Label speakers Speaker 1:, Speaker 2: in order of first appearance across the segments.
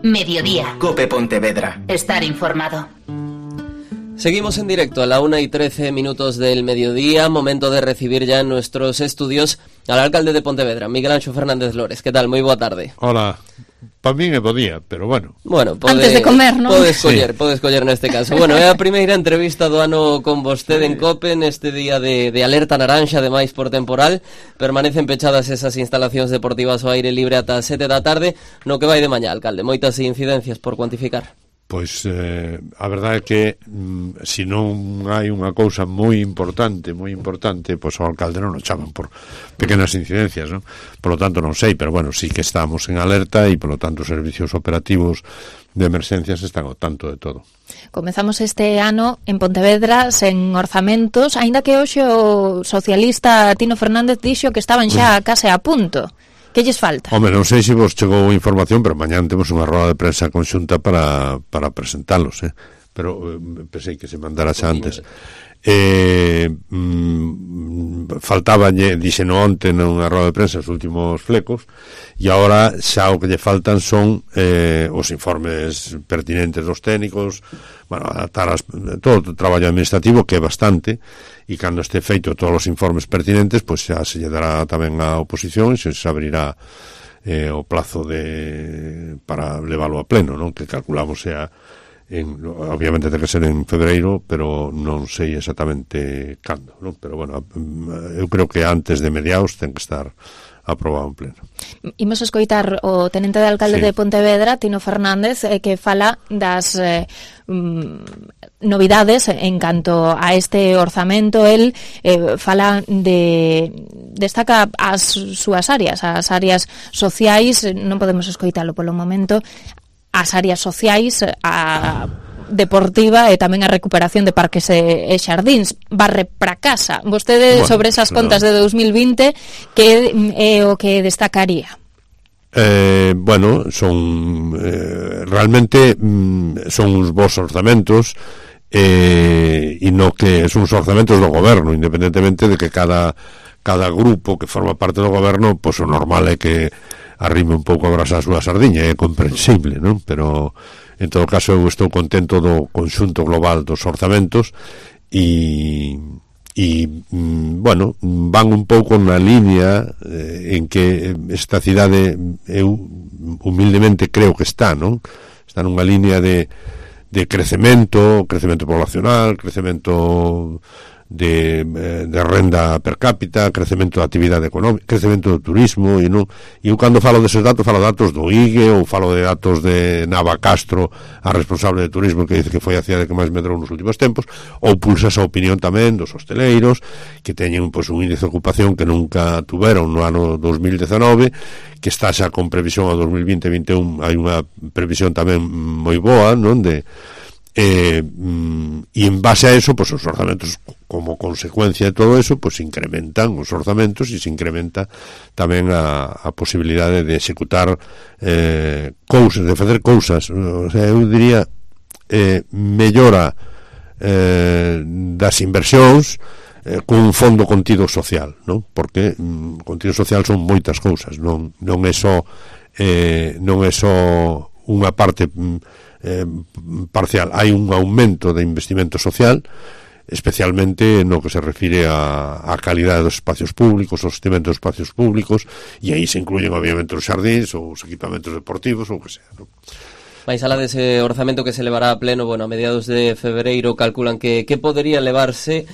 Speaker 1: Mediodía.
Speaker 2: COPE Pontevedra.
Speaker 1: Estar informado.
Speaker 3: Seguimos en directo a la 1:13 del mediodía, momento de recibir ya en nuestros estudios al alcalde de Pontevedra, Miguel Anxo Fernández Lores. Que tal? Moi boa tarde.
Speaker 4: Hola. Para mí me podía, pero bueno.
Speaker 3: Bueno,
Speaker 1: antes de comer, ¿no?
Speaker 3: Podes coller neste caso. Bueno, é a primeira entrevista do ano con vostede en COPE neste día de alerta naranxa, ademais por temporal. Permanecen pechadas esas instalacións deportivas ao aire libre ata as 7 da tarde. No que vai de mañá, alcalde, moitas incidencias por cuantificar.
Speaker 4: Pois a verdade é que se non hai unha cousa moi importante, pois ao alcalde non o chaman por pequenas incidencias, non? Por lo tanto non sei, pero bueno, sí que estamos en alerta e por lo tanto os servicios operativos de emerxencias están ao tanto de todo.
Speaker 5: Comezamos este ano en Pontevedra sen orzamentos, aínda que hoxe o socialista Tino Fernández dixo que estaban xa case a punto. Que lles falta?
Speaker 4: Home, non sei se vos chegou información, pero mañán temos unha roda de prensa conxunta para presentalos, pero pensei que se mandara xa antes. Faltaba, dixeno onte nunha roda de prensa os últimos flecos, e agora xa o que lle faltan son os informes pertinentes dos técnicos, bueno, adaptar todo o traballo administrativo, que é bastante, e cando este feito todos os informes pertinentes, pois xa se lle dará tamén a oposición e se abrirá o plazo para leválo a pleno, non? Que calculamos sea obviamente ten que ser en febreiro, pero non sei exactamente cando, non? Pero bueno, eu creo que antes de mediados ten que estar aprobado en pleno.
Speaker 5: Imos escoitar o tenente de alcalde de Pontevedra, Tino Fernández, que fala das novidades en canto a este orzamento. El fala destaca as súas áreas, as áreas sociais. Non podemos escoitalo polo momento. As áreas sociais, a deportiva e tamén a recuperación de parques e xardíns. Barre para casa. Vostede, bueno, sobre esas contas de 2020, que é o que destacaría?
Speaker 4: Bueno, son realmente son uns bons orzamentos, e no que son os orzamentos do goberno, independentemente de que cada grupo que forma parte do goberno, pois o normal é que arrime un pouco a brasa a súa sardiña, é comprensible, non? Pero en todo caso eu estou contento do conxunto global dos orzamentos e bueno, van un pouco na línea en que esta cidade eu humildemente creo que está, non? Está nunha línea de crecemento poblacional, crecemento de renda per cápita, crecemento da actividade económica, crecemento do turismo, e eu cando falo deses datos, falo datos do IGE ou falo de datos de Nava Castro, a responsable de turismo, que dice que foi a cidade que máis medrou nos últimos tempos, ou pulsa esa opinión tamén dos hosteleiros, que teñen pois un índice de ocupación que nunca tuveron no ano 2019, que está xa con previsión a 2020-21, hai unha previsión tamén moi boa, non? E en base a eso, pues os orzamentos, como consecuencia de todo eso, pues incrementan os orzamentos e se incrementa tamén a posibilidade de executar cousas, de facer cousas. O sea, eu diría mellora das inversións cun fondo contido social, non? Porque contido social son moitas cousas, non é só unha parte parcial. Hai un aumento de investimento social, especialmente no que se refire a calidade dos espacios públicos, o sostenimento dos espacios públicos, e aí se incluyen obviamente os xardíns ou os equipamentos deportivos ou o que sea, non?
Speaker 3: Mais alá dese orzamento que se levará a pleno, bueno, a mediados de febreiro, calculan que podería levarse.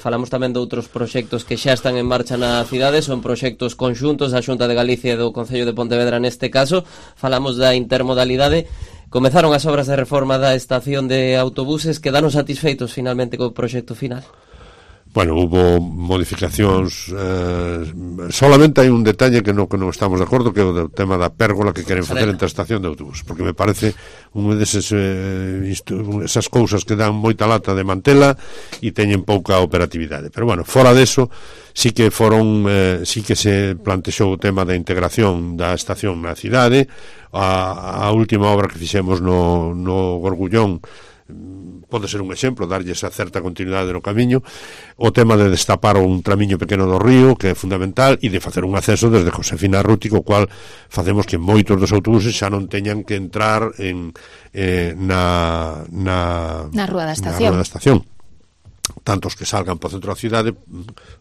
Speaker 3: Falamos tamén de outros proxectos que xa están en marcha na cidade, son proxectos conxuntos da Xunta de Galicia e do Concello de Pontevedra neste caso. Falamos da intermodalidade. Comezaron as obras de reforma da estación de autobuses. Quedaron satisfeitos finalmente co proxecto final?
Speaker 4: Bueno, hubo modificacións, solamente hai un detalle que non estamos de acordo, que é o tema da pérgola que queren facer entre a estación de autobús, porque me parece unha desas esas cousas que dan moita lata de mantela e teñen pouca operatividade. Pero bueno, fora deso, sí que se plantexou o tema da integración da estación na cidade. A última obra que fixemos no Gorgullón pode ser un exemplo, darlle esa certa continuidade no camiño, o tema de destapar un tramiño pequeno do río, que é fundamental, e de facer un acceso desde Josefina Arruti, co cual facemos que moitos dos autobuses xa non teñan que entrar na
Speaker 5: Rúa da Estación,
Speaker 4: tantos que salgan por centro da cidade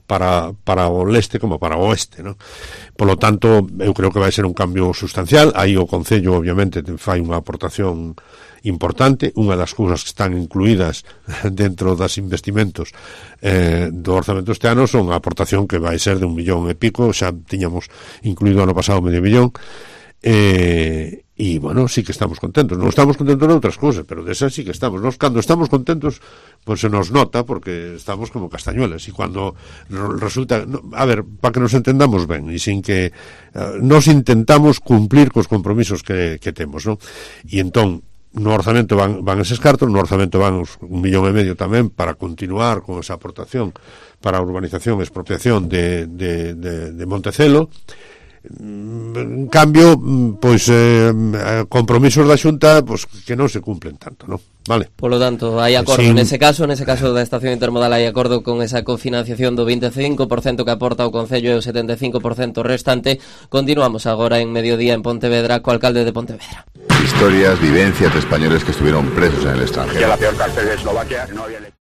Speaker 4: para o leste como para o oeste, ¿no? Polo tanto, eu creo que vai ser un cambio sustancial. Aí o Concello obviamente fai unha aportación importante. Unha das cousas que están incluídas dentro das investimentos do orzamento este ano son a aportación que vai ser de 1,5 millón, xa tiñamos incluído ano pasado 500 000, e, bueno, sí que estamos contentos. Non estamos contentos de outras cousas, pero desas sí que estamos. Nos, cando estamos contentos, pues se nos nota, porque estamos como castañuelas, e cando resulta... a ver, para que nos entendamos ben, e sin que... nos intentamos cumplir cos compromisos que temos, non? E entón, no orzamento van eses cartos, no orzamento van 1,5 millón tamén para continuar con esa aportación para a urbanización e expropiación de Montecelo. En cambio, pois compromisos da Xunta pois que non se cumplen tanto, non? Vale.
Speaker 3: Polo tanto, hai acordo nese caso da estación intermodal, hai acordo con esa cofinanciación do 25% que aporta o Concello e o 75% restante. Continuamos agora en Mediodía en Pontevedra co alcalde de Pontevedra.
Speaker 2: Historias, vivencias de españoles que estuvieron presos en el extranjero.
Speaker 6: Que la peor cárcel de Eslovaquia no había...